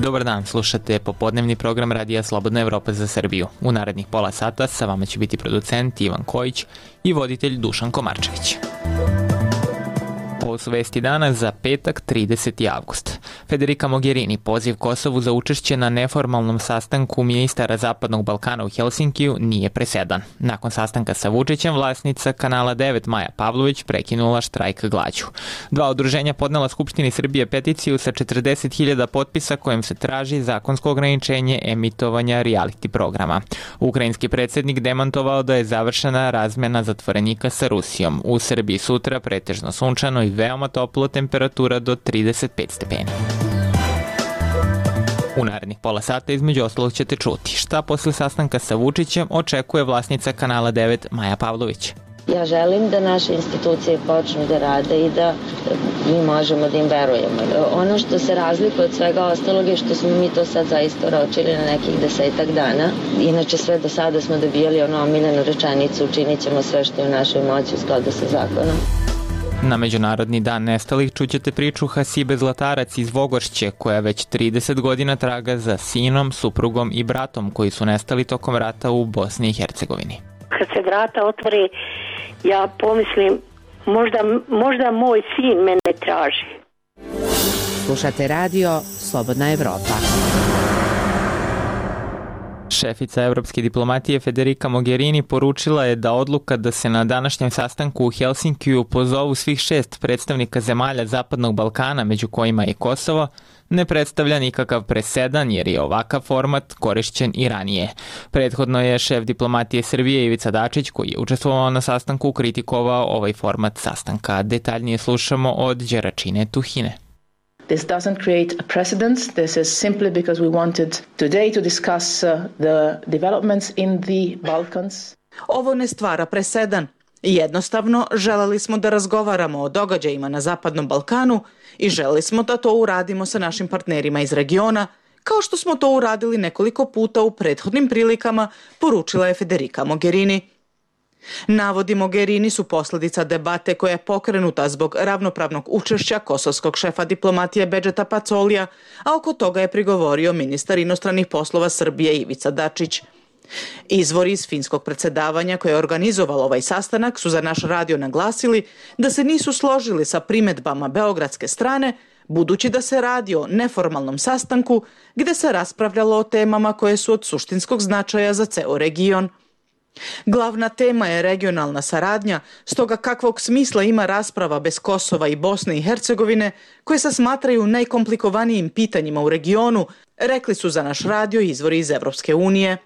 Dobar dan, slušate popodnevni program Radija Slobodna Evropa za Srbiju. U narednih pola sata sa vama će biti producent Ivan Kojić i voditelj Dušan Komarčević. Ovo su vesti dana za petak 30. avgust. Federica Mogherini poziv Kosovu za učešće na neformalnom sastanku ministara Zapadnog Balkana u Helsinkiju nije presedan. Nakon sastanka sa Vučićem, vlasnica Kanala 9 Maja Pavlović prekinula štrajk glađu. Dva udruženja podnela Skupštini Srbije peticiju sa 40.000 potpisa kojim se traži zakonsko ograničenje emitovanja reality programa. Ukrajinski predsjednik demantovao da je završena razmena zatvorenika sa Rusijom. U Srbiji sutra pretežno sunčano i veoma toplo, temperatura do 35 stepeni. U narednih pola sata između ostalog ćete čuti šta posle sastanka sa Vučićem očekuje vlasnica Kanala 9 Maja Pavlović. Ja želim da naše institucije počnu da rade i da mi možemo da im verujemo. Ono što se razlikuje od svega ostalog je što smo mi to sad zaista ročili na nekih 10 dana. Inače sve do sada smo dobijali ono omiljenu rečenicu, učinit ćemo sve što je u našoj moći u skladu sa zakonom. Na Međunarodni dan nestalih čućete priču Hasibe Zlatarac iz Vogošće, koja već 30 godina traga za sinom, suprugom i bratom koji su nestali tokom rata u Bosni i Hercegovini. Kad se vrata otvore, ja pomislim, možda moj sin mene traži. Slušate radio Slobodna Evropa. Šefica evropske diplomatije Federica Mogherini poručila je da odluka da se na današnjem sastanku u Helsinkiju pozovu svih 6 predstavnika zemalja Zapadnog Balkana, među kojima i Kosovo, ne predstavlja nikakav presedan jer je ovakav format korišćen i ranije. Prethodno je šef diplomatije Srbije Ivica Dačić, koji je učestvovao na sastanku, kritikovao ovaj format sastanka. Detaljnije slušamo od Đeračine Tuhine. This doesn't create a precedent. This is simply because we wanted today to discuss the developments in the Balkans. Ovo ne stvara presedan. Jednostavno, želeli smo da razgovaramo o događajima na Zapadnom Balkanu i želeli smo da to uradimo sa našim partnerima iz regiona, kao što smo to uradili nekoliko puta u prethodnim prilikama, poručila je Federica Mogherini. Navodi Mogherini su posljedica debate koja je pokrenuta zbog ravnopravnog učešća kosovskog šefa diplomatije Bedžeta Pacolija, a oko toga je prigovorio ministar inostranih poslova Srbije Ivica Dačić. Izvori iz finskog predsjedavanja koje je organizovalo ovaj sastanak su za naš radio naglasili da se nisu složili sa primjedbama beogradske strane, budući da se radi o neformalnom sastanku gdje se raspravljalo o temama koje su od suštinskog značaja za ceo region. Glavna tema je regionalna saradnja, stoga kakvog smisla ima rasprava bez Kosova i Bosne i Hercegovine, koje se smatraju najkomplikovanijim pitanjima u regionu, rekli su za naš radio izvori iz Evropske unije.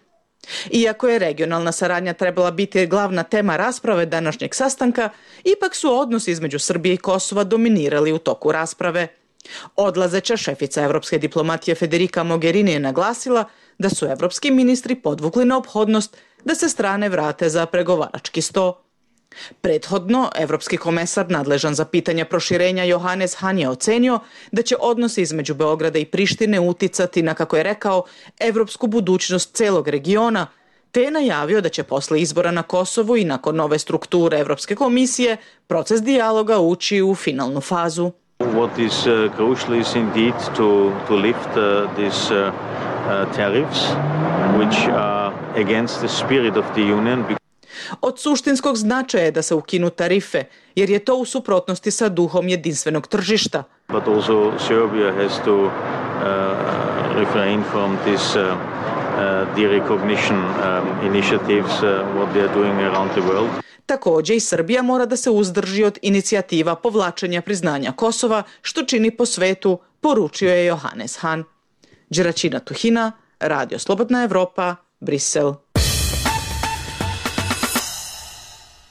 Iako je regionalna saradnja trebala biti glavna tema rasprave današnjeg sastanka, ipak su odnosi između Srbije i Kosova dominirali u toku rasprave. Odlazeća šefica evropske diplomatije Federica Mogherini je naglasila da su evropski ministri podvukli neophodnost da se strane vrate za pregovarački sto. Prethodno, evropski komesar nadležan za pitanja proširenja Johannes Hahn je ocenio da će odnosi između Beograda i Prištine uticati na, kako je rekao, evropsku budućnost celog regiona, te je najavio da će posle izbora na Kosovu i nakon nove strukture Evropske komisije proces dijaloga ući u finalnu fazu. What is crucial is indeed to lift these tariffs which are against the spirit of the union. Od suštinskog značaja je da se ukinu tarife, jer je to u suprotnosti sa duhom jedinstvenog tržišta. But also Serbia has to refrain from this derecognition initiatives what they are doing around the world. Također i Srbija mora da se uzdrži od inicijativa povlačenja priznanja Kosova, što čini po svetu, poručio je Johannes Hahn. Đeračina Tuhina, Radio Slobodna Evropa, Brisel.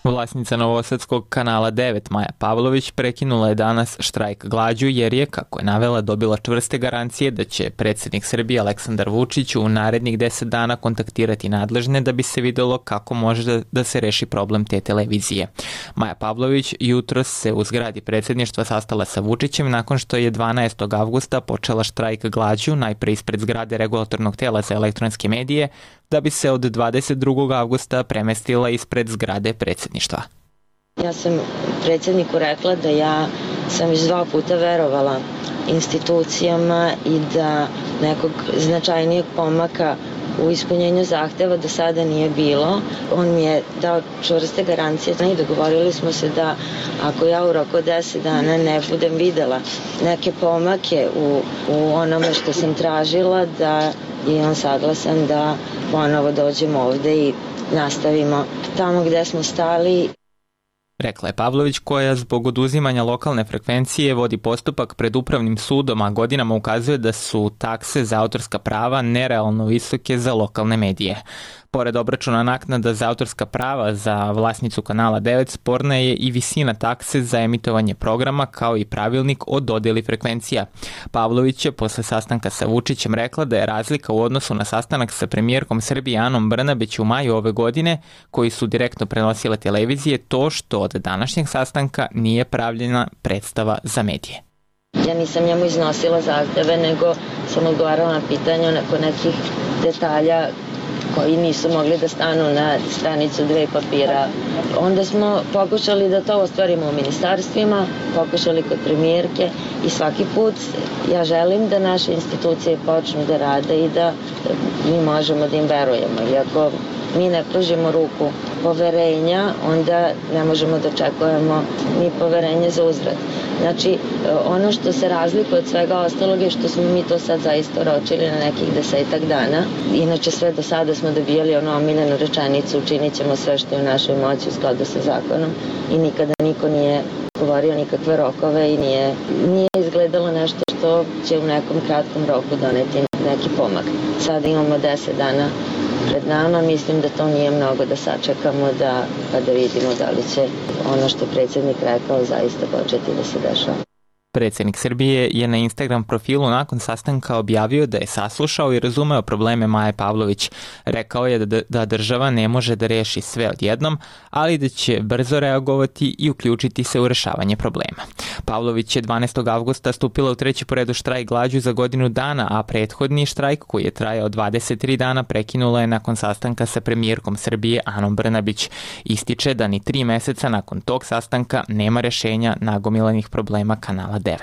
Vlasnica novosadskog Kanala 9 Maja Pavlović prekinula je danas štrajk glađu jer je, kako je navela, dobila čvrste garancije da će predsjednik Srbije Aleksandar Vučić u narednih 10 dana kontaktirati nadležne da bi se videlo kako može da se reši problem te televizije. Maja Pavlović jutros se u zgradi predsjedništva sastala sa Vučićem nakon što je 12. avgusta počela štrajk glađu, najpre ispred zgrade regulatornog tela za elektronske medije, da bi se od 22. avgusta premestila ispred zgrade predsjedništva. Ja sam predsjedniku rekla da ja sam već 2 puta verovala institucijama i da nekog značajnijeg pomaka u ispunjenju zahteva do sada nije bilo. On mi je dao čvrste garancije i dogovorili smo se da ako ja u roku od 10 dana ne budem videla neke pomake u onome što sam tražila, da je on saglasan da ponovo dođemo ovde i nastavimo tamo gde smo stali. Rekla je Pavlović, koja zbog oduzimanja lokalne frekvencije vodi postupak pred upravnim sudom, a godinama ukazuje da su takse za autorska prava nerealno visoke za lokalne medije. Pored obračuna naknada za autorska prava za vlasnicu kanala 9, sporna je i visina takse za emitovanje programa, kao i pravilnik o dodeli frekvencija. Pavlović je posle sastanka sa Vučićem rekla da je razlika u odnosu na sastanak sa premijerkom Srbije Anom Brnabić u maju ove godine, koji su direktno prenosile televizije, to što od današnjeg sastanka nije pravljena predstava za medije. Ja nisam njemu iznosila zahteve, nego sam odgovarala na pitanja nakon nekih detalja koji nisu mogli da stanu na stranicu 2 papira. Onda smo pokušali da to ostvarimo u ministarstvima, pokušali kod premijerke i svaki put ja želim da naše institucije počnu da rade i da mi možemo da im verujemo. I ako mi ne pružimo ruku poverenja, onda ne možemo da očekujemo ni poverenje za uzvrat. Znači, ono što se razlikuje od svega ostalog je što smo mi to sad zaista oročili na nekih 10 dana. Inače, sve do sada smo dobijali ono omiljenu rečenicu, učinit ćemo sve što je u našoj moći u skladu sa zakonom i nikada niko nije govorio nikakve rokove i nije izgledalo nešto što će u nekom kratkom roku doneti neki pomak. Sada imamo 10 dana pred nama, mislim da to nije mnogo da sačekamo pa da vidimo da li će ono što predsjednik rekao zaista početi da se dešava. Predsjednik Srbije je na Instagram profilu nakon sastanka objavio da je saslušao i razumeo probleme Maje Pavlović. Rekao je da država ne može da reši sve odjednom, ali da će brzo reagovati i uključiti se u rešavanje problema. Pavlović je 12. avgusta stupila u 3. po redu štrajk glađu za godinu dana, a prethodni štrajk koji je trajao 23 dana prekinula je nakon sastanka sa premijerkom Srbije Anom Brnabić. Ističe da ni 3 meseca nakon tog sastanka nema rešenja nagomilanih problema kanala 9.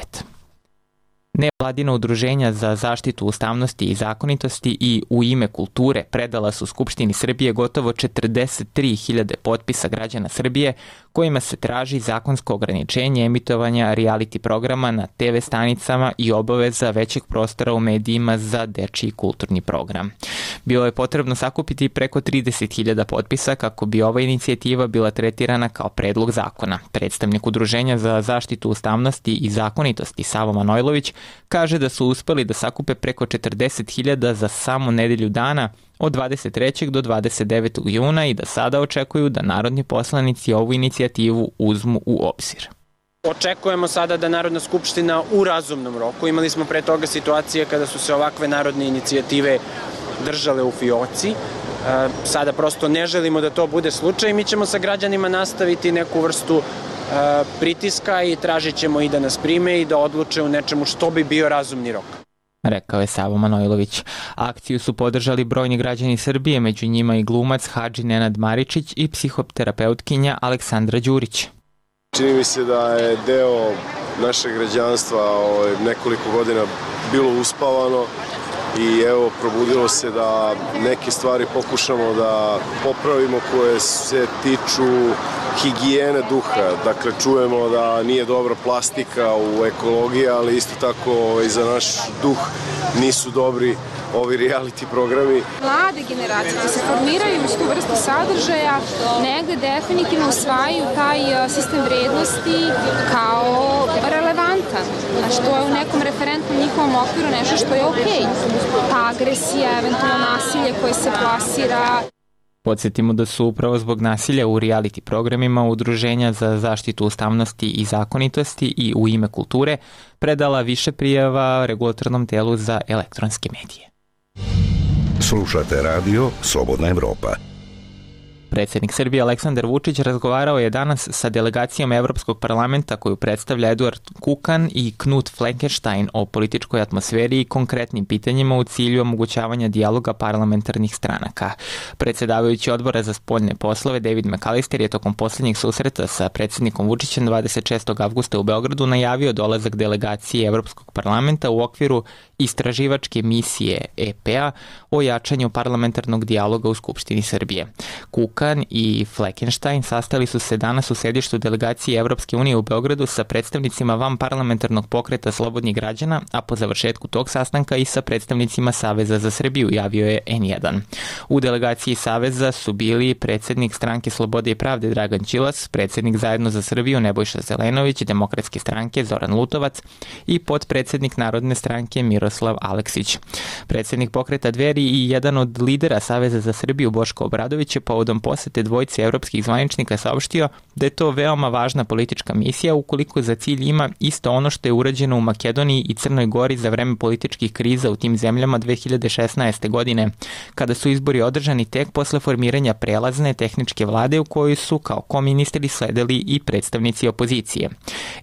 Nevladina udruženja za zaštitu ustavnosti i zakonitosti i U ime kulture predala su Skupštini Srbije gotovo 43.000 potpisa građana Srbije kojima se traži zakonsko ograničenje emitovanja reality programa na TV stanicama i obaveza većeg prostora u medijima za dečiji kulturni program. Bilo je potrebno sakupiti preko 30.000 potpisa kako bi ova inicijativa bila tretirana kao predlog zakona. Predstavnik Udruženja za zaštitu ustavnosti i zakonitosti Savo Manojlović kaže da su uspeli da sakupe preko 40.000 za samo nedelju dana od 23. do 29. juna i da sada očekuju da narodni poslanici ovu inicijativu uzmu u obzir. Očekujemo sada da Narodna skupština u razumnom roku, imali smo pre toga situacije kada su se ovakve narodne inicijative držale u fioci, sada prosto ne želimo da to bude slučaj, mi ćemo sa građanima nastaviti neku vrstu pritiska i tražit ćemo i da nas prime i da odluče u nečemu što bi bio razumni rok. Rekao je Savo Manojlović. Akciju su podržali brojni građani Srbije, među njima i glumac Hadži Nenad Maričić i psihoterapeutkinja Aleksandra Đurić. Čini mi se da je deo našeg građanstva nekoliko godina bilo uspavano i evo probudilo se da neke stvari pokušamo da popravimo koje se tiču higijene duha. Dakle, čujemo da nije dobra plastika u ekologiji, ali isto tako i za naš duh nisu dobri ovi reality programi. Mlade generacije koje se formiraju uz tu vrstu sadržaja negde definitivno usvajaju taj sistem vrednosti kao relevantan, a što je u nekom referentnom njihovom okviru nešto što je okej. Ta agresija, eventualno nasilje koje se plasira. Podsjetimo da su upravo zbog nasilja u reality programima Udruženja za zaštitu ustavnosti i zakonitosti i U ime kulture predala više prijava Regulatornom telu za elektronske medije. Slušate radio Slobodna Evropa. Predsjednik Srbije Aleksandar Vučić razgovarao je danas sa delegacijom Evropskog parlamenta koju predstavlja Eduard Kukan i Knut Fleckenstein o političkoj atmosferi i konkretnim pitanjima u cilju omogućavanja dijaloga parlamentarnih stranaka. Predsjedavajući odbora za spoljne poslove David McAllister je tokom posljednjeg susreta sa predsjednikom Vučićem 26. avgusta u Beogradu najavio dolazak delegacije Evropskog parlamenta u okviru istraživačke misije EP-a o jačanju parlamentarnog dijaloga u Skupštini Srbije. Kukan i Fleckenstein sastali su se danas u sedištu delegacije Evropske unije u Beogradu sa predstavnicima vanparlamentarnog pokreta Slobodnih građana, a po završetku tog sastanka i sa predstavnicima Saveza za Srbiju, javio je N1. U delegaciji Saveza su bili predsjednik Stranke Slobode i pravde Dragan Đilas, predsjednik Zajedno za Srbiju Nebojša Zelenović, Demokratske stranke Zoran Lutovac i potpredsjednik Narodne stranke Miroslav Aleksić. Predsjednik pokreta Dveri i jedan od lidera Saveza za Srbiju Boško Obradović je povodom posete dvojice evropskih zvaničnika saopštio da je to veoma važna politička misija ukoliko za cilj ima isto ono što je urađeno u Makedoniji i Crnoj Gori za vreme političkih kriza u tim zemljama 2016. godine, kada su izbori održani tek posle formiranja prelazne tehničke vlade u kojoj su kao koministri sledili i predstavnici opozicije.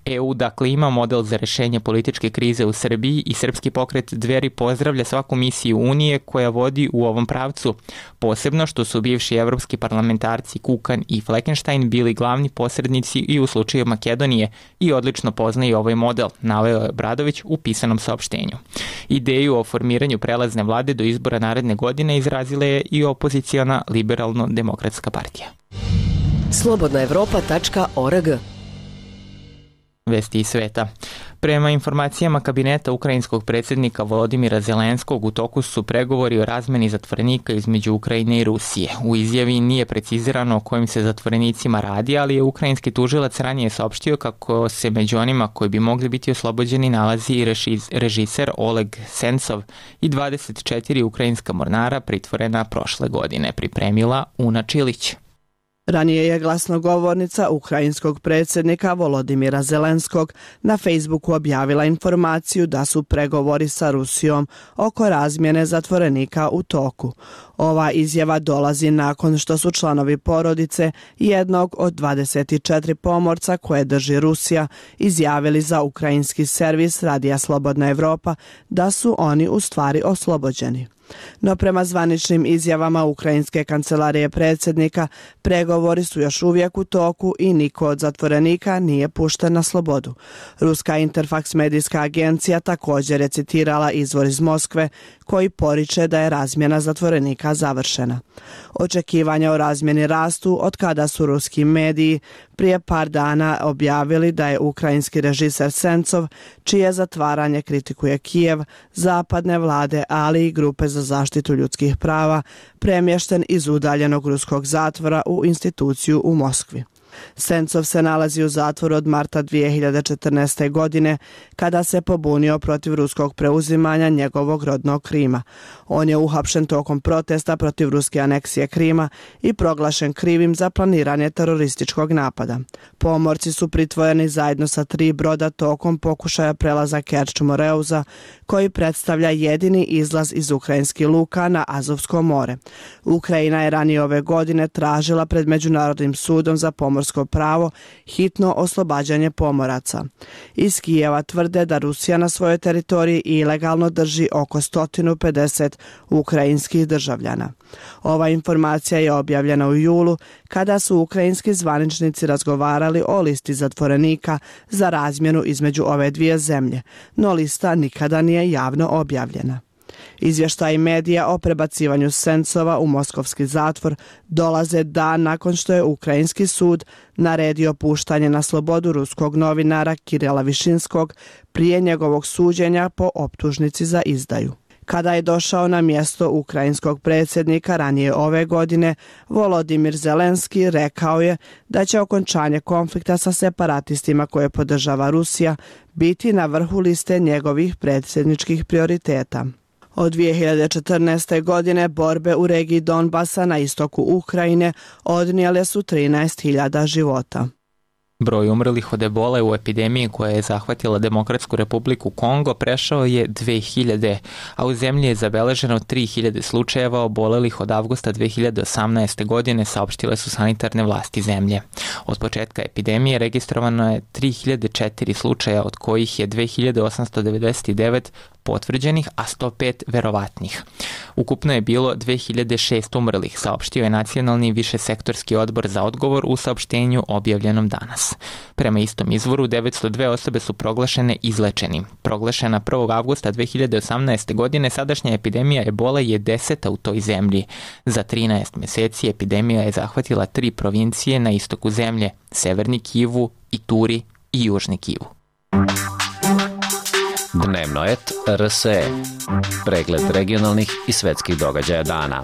EU dakle ima model za rešenje političke krize u Srbiji i srpski pokret Dveri pozdravlja svaku misiju Unije koja vodi u ovom pravcu, posebno što su bivši evropski parlamentarci Kukan i Fleckenstein bili glavni posrednici i u slučaju Makedonije i odlično poznaju ovaj model, naveo je Obradović u pisanom saopštenju. Ideju o formiranju prelazne vlade do izbora naredne godine izrazila je i opoziciona Liberalno-demokratska partija. Slobodnaevropa.org. Vesti iz sveta. Prema informacijama kabineta ukrajinskog predsjednika Volodimira Zelenskog, u toku su pregovori o razmeni zatvorenika između Ukrajine i Rusije. U izjavi nije precizirano o kojim se zatvorenicima radi, ali je ukrajinski tužilac ranije saopštio kako se među onima koji bi mogli biti oslobođeni nalazi i režiser Oleg Sencov i 24 ukrajinska mornara pritvorena prošle godine, pripremila Una Čilić. Ranije je glasnogovornica ukrajinskog predsjednika Volodimira Zelenskog na Facebooku objavila informaciju da su pregovori sa Rusijom oko razmjene zatvorenika u toku. Ova izjava dolazi nakon što su članovi porodice jednog od 24 pomorca koje drži Rusija izjavili za ukrajinski servis Radija Slobodna Evropa da su oni u stvari oslobođeni. No prema zvaničnim izjavama ukrajinske kancelarije predsjednika, pregovori su još uvijek u toku i niko od zatvorenika nije pušten na slobodu. Ruska Interfax medijska agencija također je citirala izvor iz Moskve koji poriče da je razmjena zatvorenika završena. Očekivanja o razmjeni rastu od kada su ruski mediji prije par dana objavili da je ukrajinski režiser Sencov, čije zatvaranje kritikuje Kijev, zapadne vlade, ali i grupe za zaštitu ljudskih prava, premješten iz udaljenog ruskog zatvora u instituciju u Moskvi. Sencov se nalazi u zatvoru od marta 2014. godine kada se pobunio protiv ruskog preuzimanja njegovog rodnog Krima. On je uhapšen tokom protesta protiv ruske aneksije Krima i proglašen krivim za planiranje terorističkog napada. Pomorci su pritvoreni zajedno sa 3 broda tokom pokušaja prelaza Kerč-Moreuza, koji predstavlja jedini izlaz iz ukrajinskih luka na Azovsko more. Ukrajina je ranije ove godine tražila pred Međunarodnim sudom za pomorsko pravo hitno oslobađanje pomoraca. Iz Kijeva tvrde da Rusija na svojoj teritoriji ilegalno drži oko 150 ukrajinskih državljana. Ova informacija je objavljena u julu kada su ukrajinski zvaničnici razgovarali o listi zatvorenika za razmjenu između ove dvije zemlje, no lista nikada nije javno objavljena. Izvještaji medija o prebacivanju Sencova u moskovski zatvor dolaze dan nakon što je ukrajinski sud naredio puštanje na slobodu ruskog novinara Kirila Višinskog prije njegovog suđenja po optužnici za izdaju. Kada je došao na mjesto ukrajinskog predsjednika ranije ove godine, Volodimir Zelenski rekao je da će okončanje konflikta sa separatistima koje podržava Rusija biti na vrhu liste njegovih predsjedničkih prioriteta. Od 2014. godine borbe u regiji Donbasa na istoku Ukrajine odnijele su 13.000 života. Broj umrlih od ebole u epidemiji koja je zahvatila Demokratsku republiku Kongo prešao je 2000, a u zemlji je zabeleženo 3000 slučajeva obolelih od avgusta 2018. godine, saopštile su sanitarne vlasti zemlje. Od početka epidemije registrovano je 3004 slučaja, od kojih je 2899 potvrđenih, a 105 verovatnih. Ukupno je bilo 2006 umrlih, saopštio je Nacionalni višesektorski odbor za odgovor u saopštenju objavljenom danas. Prema istom izvoru, 902 osobe su proglašene izlečenim. Proglašena 1. avgusta 2018. godine, sadašnja epidemija ebole je 10. u toj zemlji. Za 13 meseci epidemija je zahvatila 3 provincije na istoku zemlje, Severni Kivu, Ituri i Južni Kivu. Dnevno et RSE. Pregled regionalnih i svetskih događaja dana.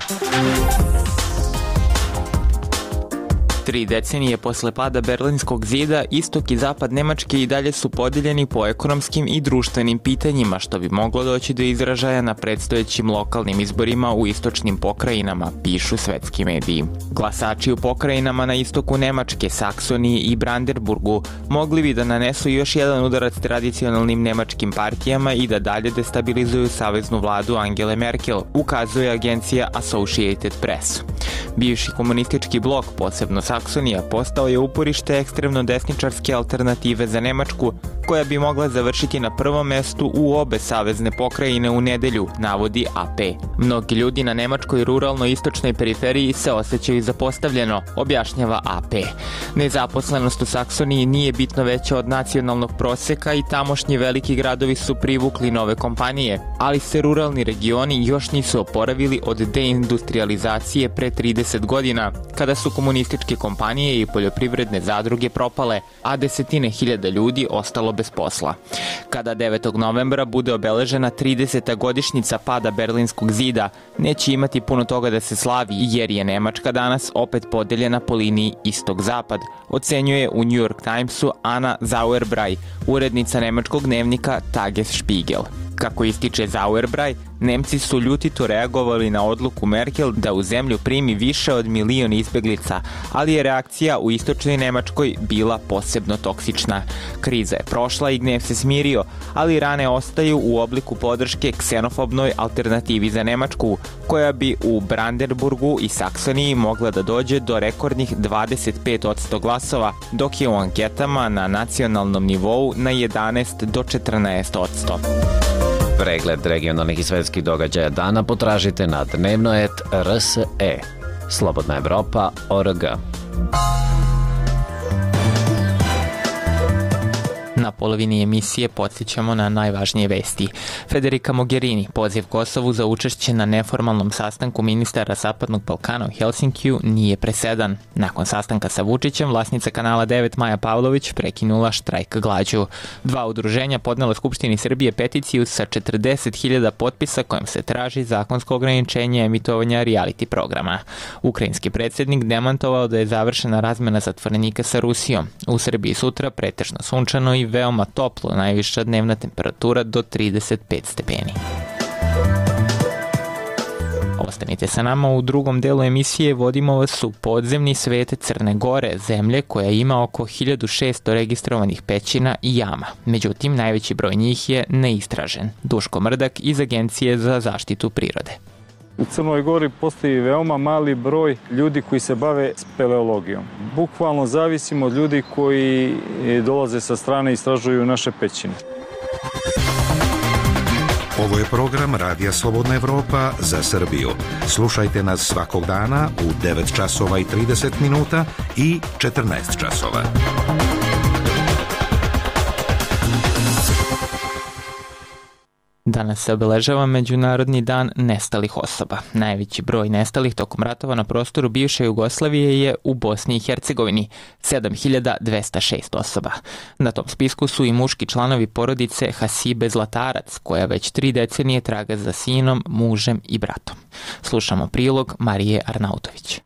3 decenije posle pada Berlinskog zida, istok i zapad Nemačke i dalje su podeljeni po ekonomskim i društvenim pitanjima, što bi moglo doći do izražaja na predstojećim lokalnim izborima u istočnim pokrajinama, pišu svetski mediji. Glasači u pokrajinama na istoku Nemačke, Saksoniji i Brandenburgu mogli bi da nanesu još jedan udarac tradicionalnim nemačkim partijama i da dalje destabilizuju saveznu vladu Angele Merkel, ukazuje agencija Associated Press. Bivši komunistički blok, posebno Saksonija, postao je uporište ekstremno desničarske alternative za Nemačku, koja bi mogla završiti na prvom mestu u obe savezne pokrajine u nedelju, navodi AP. Mnogi ljudi na nemačkoj ruralno-istočnoj periferiji se osjećaju zapostavljeno, objašnjava AP. Nezaposlenost u Saksoniji nije bitno veća od nacionalnog proseka i tamošnji veliki gradovi su privukli nove kompanije, ali se ruralni regioni još nisu oporavili od deindustrializacije pre 30 godina, kada su komunističke kompanije i poljoprivredne zadruge propale, a desetine hiljada ljudi ostalo bez posla. Kada 9. novembra bude obeležena 30. godišnjica pada Berlinskog zida, neće imati puno toga da se slavi, jer je Nemačka danas opet podeljena po liniji istok-zapad, ocenjuje u New York Timesu Anna Sauerbrei, urednica nemačkog dnevnika Tagesspiegel. Kako ističe Sauerbrei, Nemci su ljutito reagovali na odluku Merkel da u zemlju primi više od 1 milion izbeglica, ali je reakcija u istočnoj Nemačkoj bila posebno toksična. Kriza je prošla i gnev se smirio, ali rane ostaju u obliku podrške ksenofobnoj alternativi za Nemačku, koja bi u Brandenburgu i Saksoniji mogla da dođe do rekordnih 25% glasova, dok je u anketama na nacionalnom nivou na 11 do 14%. Pregled regionalnih i svetskih događaja dana potražite na dnevnoet.rs.e. Slobodna Evropa.org. Na polovini emisije podsjećamo na najvažnije vesti. Federica Mogherini poziv Kosovu za učešće na neformalnom sastanku ministara Zapadnog Balkana u Helsinkiju nije presedan. Nakon sastanka sa Vučićem, vlasnica Kanala 9 Maja Pavlović prekinula štrajk glađu. 2 udruženja podnela Skupštini Srbije peticiju sa 40.000 potpisa kojom se traži zakonsko ograničenje emitovanja reality programa. Ukrajinski predsjednik demantovao da je završena razmena zatvorenika sa Rusijom. U Srbiji sutra pretežno sunčano i veoma toplo, najviša dnevna temperatura do 35 stepeni. Ostanite sa nama, u drugom delu emisije vodimo vas u podzemni svet Crne Gore, zemlje koja ima oko 1600 registrovanih pećina i jama. Međutim, najveći broj njih je neistražen. Duško Mrdak iz Agencije za zaštitu prirode. U Crnoj Gori postoji veoma mali broj ljudi koji se bave speleologijom. Bukvalno zavisimo od ljudi koji dolaze sa strane i istražuju naše pećine. Ovo je program Radija Slobodna Evropa za Srbiju. Slušajte nas svakog dana u 9 časova i 30 minuta i 14 časova. Danas se obeležava Međunarodni dan nestalih osoba. Najveći broj nestalih tokom ratova na prostoru bivše Jugoslavije je u Bosni i Hercegovini, 7206 osoba. Na tom spisku su i muški članovi porodice Hasibe Zlatarac, koja već 3 decenije traga za sinom, mužem i bratom. Slušamo prilog Marije Arnautović.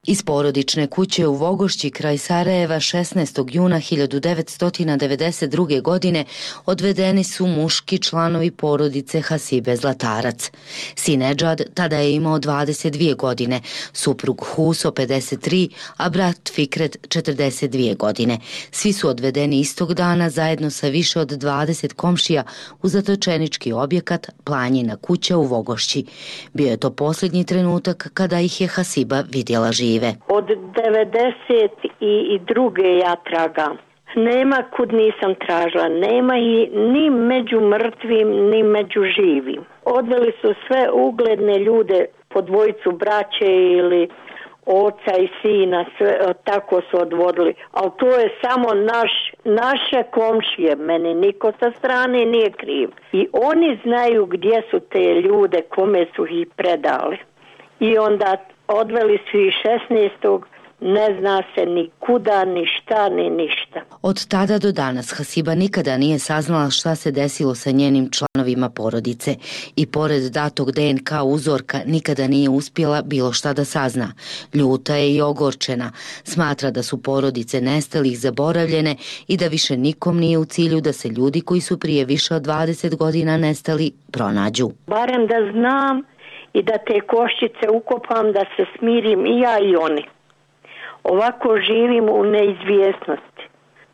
Iz porodične kuće u Vogošći kraj Sarajeva 16. juna 1992. godine odvedeni su muški članovi porodice Hasibe Zlatarac. Sin Edžad tada je imao 22 godine, suprug Huso 53, a brat Fikret 42 godine. Svi su odvedeni istog dana zajedno sa više od 20 komšija u zatočenički objekat Planjina kuća u Vogošći. Bio je to posljednji trenutak kada ih je Hasiba vidjela žive. Od 92. ja tragam. Nema kud nisam tražila, nema i ni među mrtvim, ni među živim. Odveli su sve ugledne ljude, po dvojicu braće ili oca i sina, sve, tako su odvodili. Ali to je samo naše komšije, meni niko sa strane nije kriv. I oni znaju gdje su te ljude, kome su ih predali. I onda odveli su ih 16. Ne zna se ni kuda, ni šta, ni ništa. Od tada do danas Hasiba nikada nije saznala šta se desilo sa njenim članovima porodice i pored datog DNK uzorka nikada nije uspjela bilo šta da sazna. Ljuta je i ogorčena. Smatra da su porodice nestalih zaboravljene i da više nikom nije u cilju da se ljudi koji su prije više od 20 godina nestali pronađu. Barem da znam i da te koščice ukopam, da se smirim i ja i oni. Ovako živim u neizvjesnosti.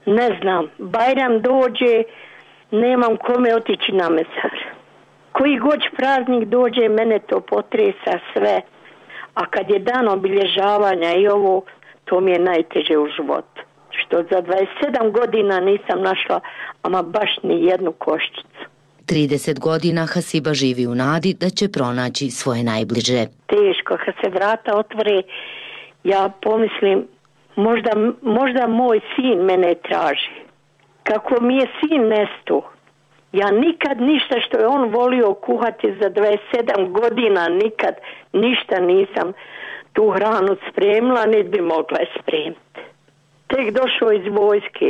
Ne znam, Bajram dođe, nemam kome otići na mezar. Koji god praznik dođe, mene to potresa sve. A kad je dan obilježavanja i ovo, to mi je najteže u životu. Što za 27 godina nisam našla ama baš ni jednu koščicu. 30 godina Hasiba živi u nadi da će pronaći svoje najbliže. Teško, kad se vrata otvore, ja pomislim, možda moj sin mene traži. Kako mi je sin nestao, ja nikad ništa što je on volio kuhati za 27 godina, nikad ništa nisam tu hranu spremila, niti bi mogla je spremiti. Tek došao iz vojske,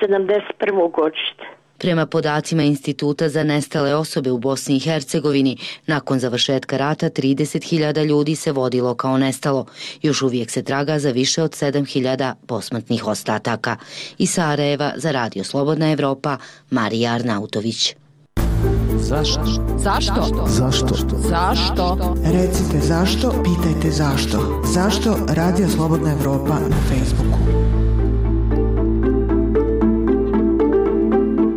71. godište. Prema podacima Instituta za nestale osobe u Bosni i Hercegovini, nakon završetka rata 30.000 ljudi se vodilo kao nestalo. Još uvijek se traga za više od 7.000 posmrtnih ostataka. Iz Sarajeva za Radio Slobodna Evropa, Marija Arnautović. Zašto? Zašto? Zašto? Zašto? Recite zašto, pitajte zašto. Zašto Radio Slobodna Evropa na Facebooku?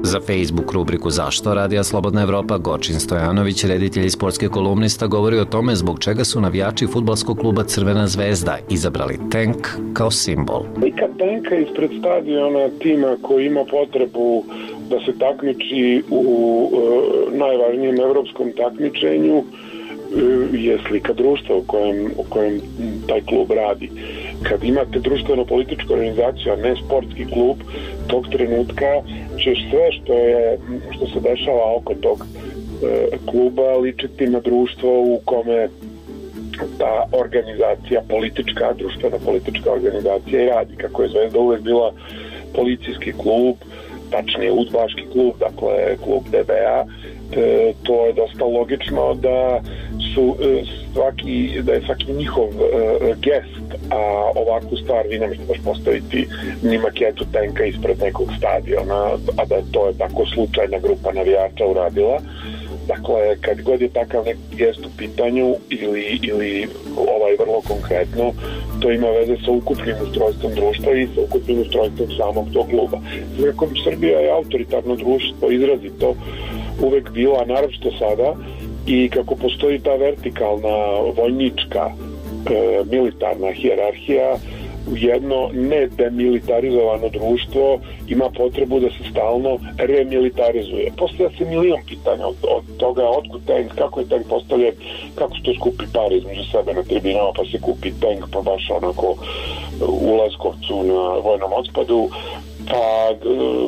Za Facebook rubriku Zašto Radija Slobodna Evropa Gočin Stojanović, reditelj i sportski kolumnista, govori o tome zbog čega su navijači fudbalskog kluba Crvena zvezda izabrali tenk kao simbol. Slika tenka ispred stadiona tima koji ima potrebu da se takmiči u najvažnijem evropskom takmičenju je slika društva u kojem taj klub radi. Kad imate društveno-političku organizaciju, a ne sportski klub, tog trenutka ćeš sve što se dešava oko tog kluba ličiti na društvo u kome ta organizacija politička, društveno-politička organizacija i radi. Kako je Zvezda uvek bila policijski klub, tačnije udbaški klub, dakle klub DBA, to je dosta logično da je svaki njihov gest, a ovakvu stvar vi ne možete baš postaviti ni maketu tenka ispred nekog stadiona, a da to je tako slučajna grupa navijača uradila. Dakle, kad god je takav neki gest u pitanju ili vrlo konkretno, to ima veze sa ukupnim ustrojstvom društva i sa ukupnim ustrojstvom samog tog kluba. Znači, Srbija je autoritarno društvo, izrazito uvek bila, a naročito sada, i kako postoji ta vertikalna vojnička militarna hijerarhija, jedno nedemilitarizovano društvo ima potrebu da se stalno remilitarizuje. Postavlja se milion pitanja od toga otkud tank, kako je tank postavljen, kako se to skupi pare između sebe na tribinama, pa se kupi tank pa baš onako u Leskovcu na vojnom otpadu, pa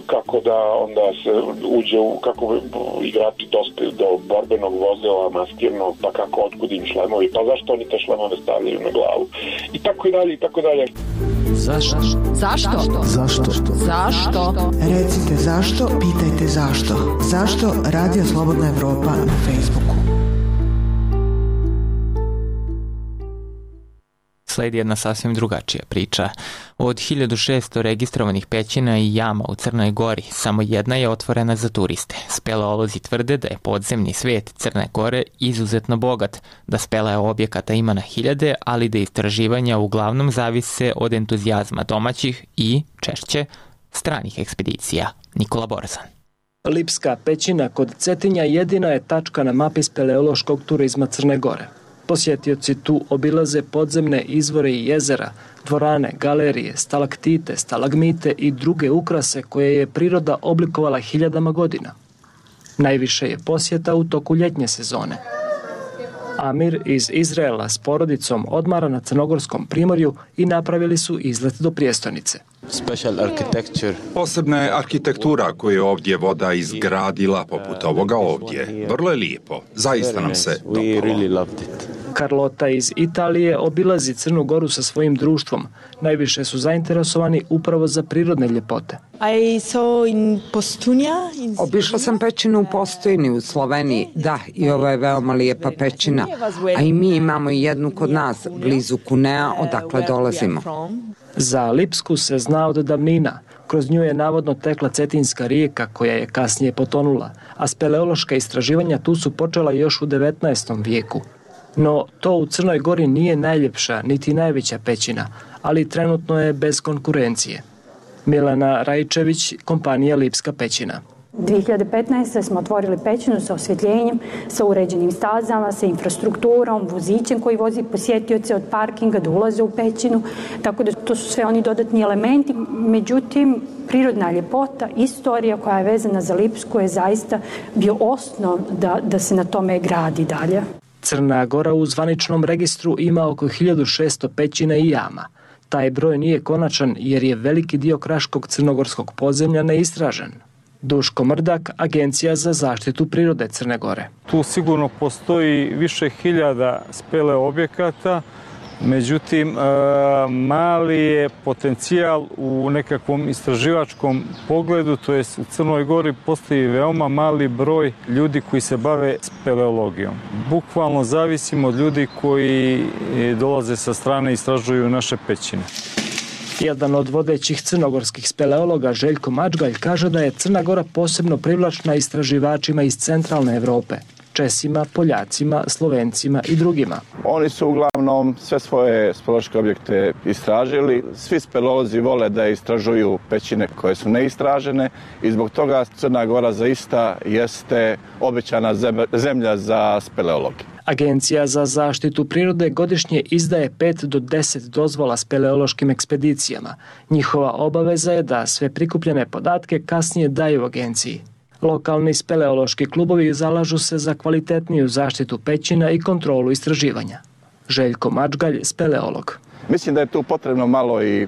kako da onda se uđe kako igrači dospiju do borbenog vozila maskirnog, pa kako otkud im šlemovi, pa zašto oni te šlemove stavljaju na glavu i tako i dalje i tako dalje. Zašto? Zašto? Zašto? Zašto? Recite zašto, pitajte zašto. Zašto Radio Slobodna Evropa na Facebooku? sledi jedna sasvim drugačija priča. Od 1600 registrovanih pećina i jama u Crnoj Gori, samo jedna je otvorena za turiste. Speleolozi tvrde da je podzemni svet Crne Gore izuzetno bogat, da speleja objekata ima na hiljade, ali da istraživanja uglavnom zavise od entuzijazma domaćih i, češće, stranih ekspedicija. Nikola Borzan. Lipska pećina kod Cetinja jedina je tačka na mapi speleološkog turizma Crne Gore. Posjetioci tu obilaze podzemne izvore i jezera, dvorane, galerije, stalaktite, stalagmite i druge ukrase koje je priroda oblikovala hiljadama godina. Najviše je posjeta u toku ljetnje sezone. Amir iz Izraela s porodicom odmara na Crnogorskom primorju i napravili su izlet do prijestolnice. Posebna je arhitektura koju je ovdje voda izgradila poput ovoga ovdje. Vrlo je lijepo. Zaista nam se dopalo. Carlota iz Italije obilazi Crnu Goru sa svojim društvom. Najviše su zainteresovani upravo za prirodne ljepote. Obišla sam pećinu u Postojni u Sloveniji. Da, i ovo je veoma lijepa pećina. A i mi imamo jednu kod nas, blizu Cunea, odakle dolazimo. Za Lipsku se zna od davnina. Kroz nju je navodno tekla Cetinska rijeka koja je kasnije potonula, a speleološka istraživanja tu su počela još u 19. vijeku. No, to u Crnoj Gori nije najljepša niti najveća pećina, ali trenutno je bez konkurencije. Milana Rajčević, kompanija Lipska pećina. 2015. smo otvorili pećinu sa osvjetljenjem, sa uređenim stazama, sa infrastrukturom, vozićem koji vozi posjetioce od parkinga da ulaze u pećinu, tako da to su sve oni dodatni elementi. Međutim, prirodna ljepota, istorija koja je vezana za Lipsku je zaista bio osnov da se na tome gradi dalje. Crna Gora u zvaničnom registru ima oko 1600 pećina i jama. Taj broj nije konačan jer je veliki dio kraškog crnogorskog podzemlja neistražen. Duško Mrdak, Agencija za zaštitu prirode Crne Gore. Tu sigurno postoji više hiljada spele objekata, međutim, mali je potencijal u nekakvom istraživačkom pogledu, to jest u Crnoj Gori postoji veoma mali broj ljudi koji se bave speleologijom. Bukvalno zavisimo od ljudi koji dolaze sa strane i istražuju naše pećine. Jedan od vodećih crnogorskih speleologa, Željko Mačgalj, kaže da je Crna Gora posebno privlačna istraživačima iz centralne Evrope. Česima, Poljacima, Slovencima i drugima. Oni su uglavnom sve svoje speleološke objekte istražili. Svi speleolozi vole da istražuju pećine koje su neistražene i zbog toga Crna Gora zaista jeste obećana zemlja za speleologe. Agencija za zaštitu prirode godišnje izdaje 5 do 10 dozvola speleološkim ekspedicijama. Njihova obaveza je da sve prikupljene podatke kasnije daju agenciji. Lokalni speleološki klubovi zalažu se za kvalitetniju zaštitu pećina i kontrolu istraživanja. Željko Mačgalj, speleolog. Mislim da je tu potrebno malo i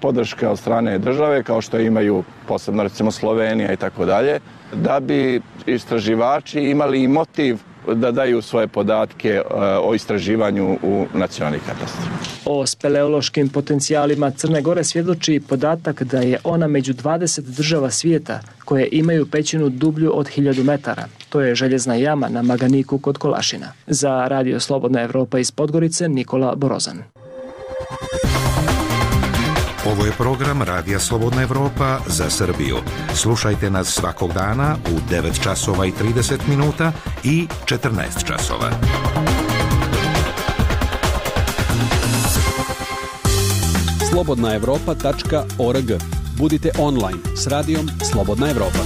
podrška od strane države, kao što imaju posebno recimo Slovenija i tako dalje, da bi istraživači imali i motiv da daju svoje podatke o istraživanju u nacionalni katastar. O speleološkim potencijalima Crne Gore svjedoči podatak da je ona među 20 država svijeta koje imaju pećinu dublju od 1000 metara. To je željezna jama na Maganiku kod Kolašina. Za Radio Slobodna Evropa iz Podgorice, Nikola Borozan. Ovo je program Radija Slobodna Evropa za Srbiju. Slušajte nas svakog dana u 9 časova i 30 minuta i 14 časova. slobodnaevropa.org. Budite online s radijom Slobodna Evropa.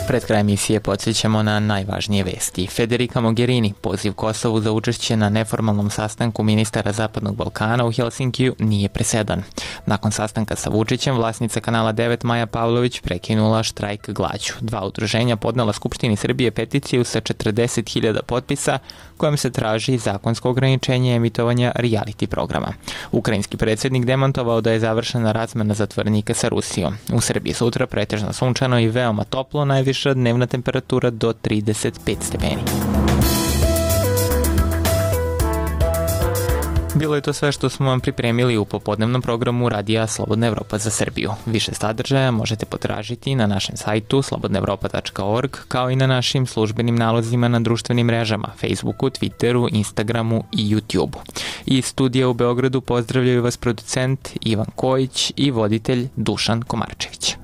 Pred kraj emisije podsjećamo na najvažnije vesti. Federica Mogherini poziv Kosovu za učešće na neformalnom sastanku ministara Zapadnog Balkana u Helsinkiju nije presedan. Nakon sastanka sa Vučićem, vlasnica Kanala 9 Maja Pavlović prekinula štrajk glađu. 2 udruženja podnela Skupštini Srbije peticiju sa 40.000 potpisa kojom se traži zakonsko ograničenje emitovanja reality programa. Ukrajinski predsjednik demantovao da je završena razmena zatvorenika sa Rusijom. U Srbiji sutra pretežno sunčano i veoma toplo, najviša dnevna temperatura do 35 stepeni. Bilo je to sve što smo vam pripremili u popodnevnom programu Radija Slobodna Evropa za Srbiju. Više sadržaja možete potražiti na našem sajtu slobodnaevropa.org, kao i na našim službenim nalozima na društvenim mrežama, Facebooku, Twitteru, Instagramu i YouTubeu. Iz studija u Beogradu pozdravljaju vas producent Ivan Kojić i voditelj Dušan Komarčević.